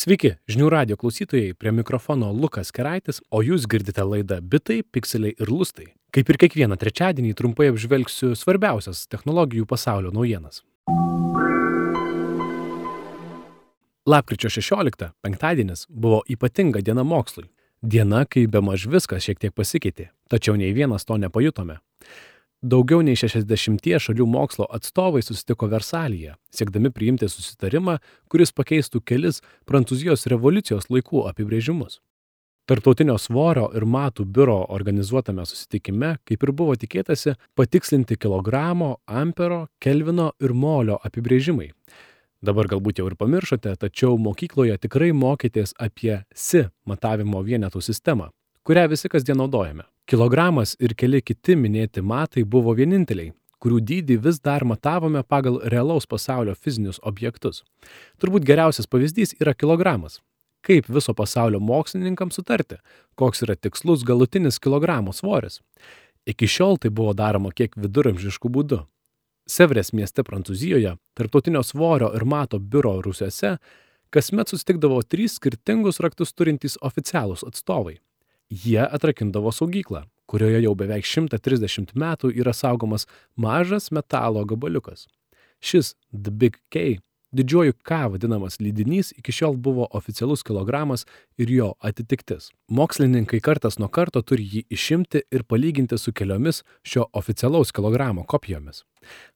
Sveiki, žinių radio klausytojai, prie mikrofono Lukas Keraitis, o jūs girdite laidą Bitai, Pikseliai ir Lustai. Kaip ir kiekvieną trečiadienį trumpai apžvelgsiu svarbiausias technologijų pasaulio naujienas. Lapkričio 16, penktadienis, buvo ypatinga diena mokslui. Diena, kai bemaž viskas šiek tiek pasikeitė, tačiau nei vienas to nepajutome. Daugiau nei 60 šalių mokslo atstovai susitiko Versalyje, siekdami priimti susitarimą, kuris pakeistų kelis Prancūzijos revoliucijos laikų apibrėžimus. Tarptautinio svorio ir matų biuro organizuotame susitikime, kaip ir buvo tikėtasi, patikslinti kilogramo, ampero, kelvino ir molio apibrėžimai. Dabar galbūt jau ir pamiršote, tačiau mokykloje tikrai mokytės apie SI matavimo vienetų sistemą, kurią visi kasdien naudojame. Kilogramas ir keli kiti minėti matai buvo vieninteliai, kurių dydį vis dar matavome pagal realaus pasaulio fizinius objektus. Turbūt geriausias pavyzdys yra kilogramas. Kaip viso pasaulio mokslininkams sutarti, koks yra tikslus galutinis kilogramo svoris? Iki šiol tai buvo daroma kiek viduramžiškų būdų. Sevrės mieste Prancūzijoje, tarptautinio svorio ir mato biuro rūsiuose, kasmet susitikdavo 3 skirtingus raktus turintys oficialūs atstovai. Jie atrakindavo saugyklą, kurioje jau beveik 130 metų yra saugomas mažas metalo gabaliukas. Šis The Big K, didžiuoju K vadinamas lydinys, iki šiol buvo oficialus kilogramas ir jo atitiktis. Mokslininkai kartas nuo karto turi jį išimti ir palyginti su keliomis šio oficialaus kilogramo kopijomis.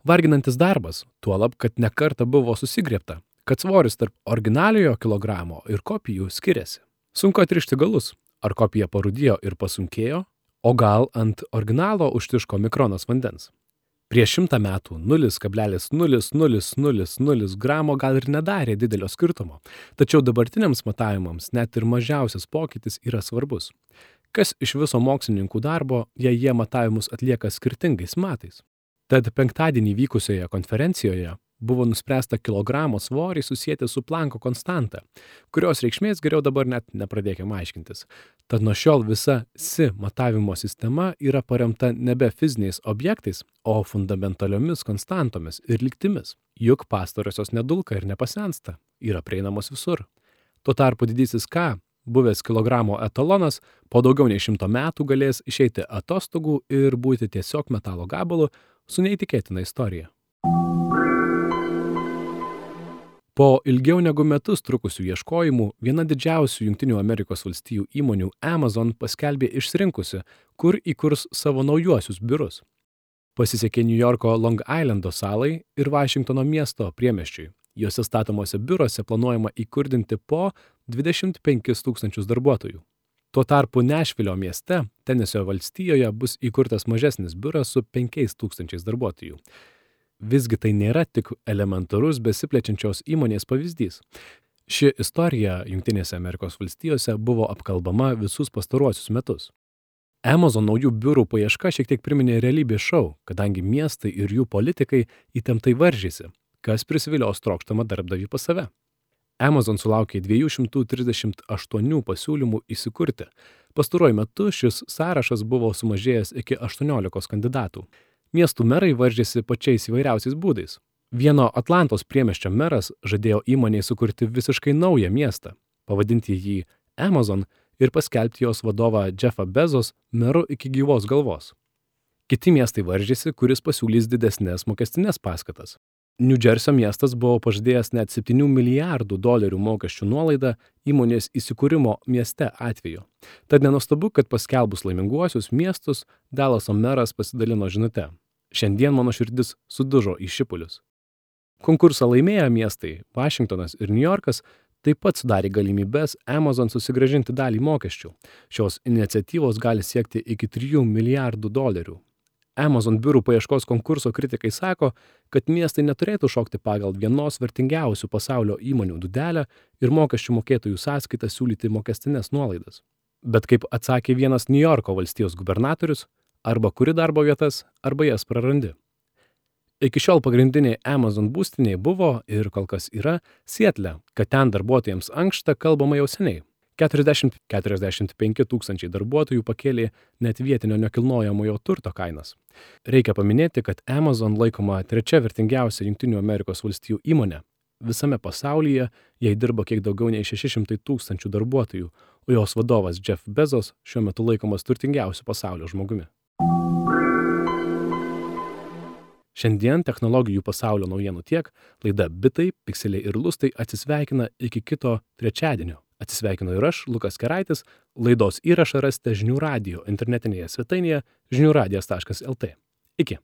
Varginantis darbas, tuolab, kad ne kartą buvo susigriebta, kad svoris tarp originaliojo kilogramo ir kopijų skiriasi. Sunku atrišti galus. Ar kopija parūdijo ir pasunkėjo, o gal ant originalo užtiško mikronas vandens. Prieš 100 metų 0,0000 gramo gal ir nedarė didelio skirtumo, tačiau dabartiniams matavimams net ir mažiausias pokytis yra svarbus. Kas iš viso mokslininkų darbo, jei jie matavimus atlieka skirtingais matais? Tad penktadienį vykusioje konferencijoje buvo nuspręsta kilogramo svorį susijęti su Plancko konstanta, kurios reikšmės geriau dabar net nepradėkime aiškintis. Tad nuo šiol visa SI matavimo sistema yra paremta nebe fiziniais objektais, o fundamentaliomis konstantomis ir lygtimis. Juk pastarosios nedulka ir nepasensta, yra prieinamos visur. Tuo tarpu didysis K, buvęs kilogramo etalonas, po daugiau nei 100 metų galės išeiti atostogų ir būti tiesiog metalo gabalu su neįtikėtina istorija. Po ilgiau negu metus trukusių ieškojimų, viena didžiausių Jungtinių Amerikos valstijų įmonių Amazon paskelbė išsirinkusi, kur įkurs savo naujuosius biurus. Pasisekė Niujorko Long Islando salai ir Vašingtono miesto priemiesčiui. Juose statomuose biuruose planuojama įkurdinti po 25 000 darbuotojų. Tuo tarpu Nešvilio mieste, Tenesio valstijoje, bus įkurtas mažesnis biuras su 5 000 darbuotojų. Visgi tai nėra tik elementarus besiplečiančios įmonės pavyzdys. Ši istorija Jungtinėse Amerikos valstijose buvo apkalbama visus pastaruosius metus. Amazon naujų biurų paieška šiek tiek priminė realybės šou, kadangi miestai ir jų politikai įtemptai varžėsi, kas prisivilios trokštamą darbdavį pas save. Amazon sulaukė 238 pasiūlymų įsikurti. Pastaruoju metu šis sąrašas buvo sumažėjęs iki 18 kandidatų. Miestų merai varžėsi pačiais įvairiausiais būdais. Vieno Atlantos priemiesčio meras žadėjo įmonei sukurti visiškai naują miestą, pavadinti jį Amazon ir paskelbti jos vadovą Jeffą Bezos meru iki gyvos galvos. Kiti miestai varžėsi, kuris pasiūlys didesnės mokestinės paskatas. New Jersey miestas buvo pažadėjęs net $7 milijardų mokesčių nuolaidą įmonės įsikūrimo mieste atveju. Tad nenuostabu, kad paskelbus laiminguosius miestus, Dallaso meras pasidalino žinute: "Šiandien mano širdis sudužo į šipulius." Konkursą laimėję miestai Vašingtonas ir Niujorkas taip pat sudarė galimybes Amazon susigrąžinti dalį mokesčių. Šios iniciatyvos gali siekti iki $3 milijardų. Amazon biurų paieškos konkurso kritikai sako, kad miestai neturėtų šokti pagal vienos vertingiausių pasaulio įmonių dūdelę ir mokesčių mokėtojų sąskaitą siūlyti mokestinės nuolaidas. Bet kaip atsakė vienas Niujorko valstijos gubernatorius, arba kuri darbo vietas, arba jas prarandi. Iki šiol pagrindiniai Amazon būstiniai buvo ir kol kas yra Sietle, kad ten darbuotojams ankšta kalbama jau seniai. 40–45 tūkstančiai darbuotojų pakėlė net vietinio nekilnojamojo turto kainas. Reikia paminėti, kad Amazon laikoma trečia vertingiausia Jungtinių Amerikos valstijų įmonė. Visame pasaulyje jai dirba kiek daugiau nei 600 tūkstančių darbuotojų, o jos vadovas Jeff Bezos šiuo metu laikomas turtingiausiu pasaulio žmogumi. Šiandien technologijų pasaulio naujienų tiek. Laida Bitai, Pikseliai ir Lustai atsisveikina iki kito trečiadienio. Atsisveikinu ir aš, Lukas Keraitis. Laidos įrašą rasite Žinių radijo internetinėje svetainėje žiniųradijas.lt. Iki.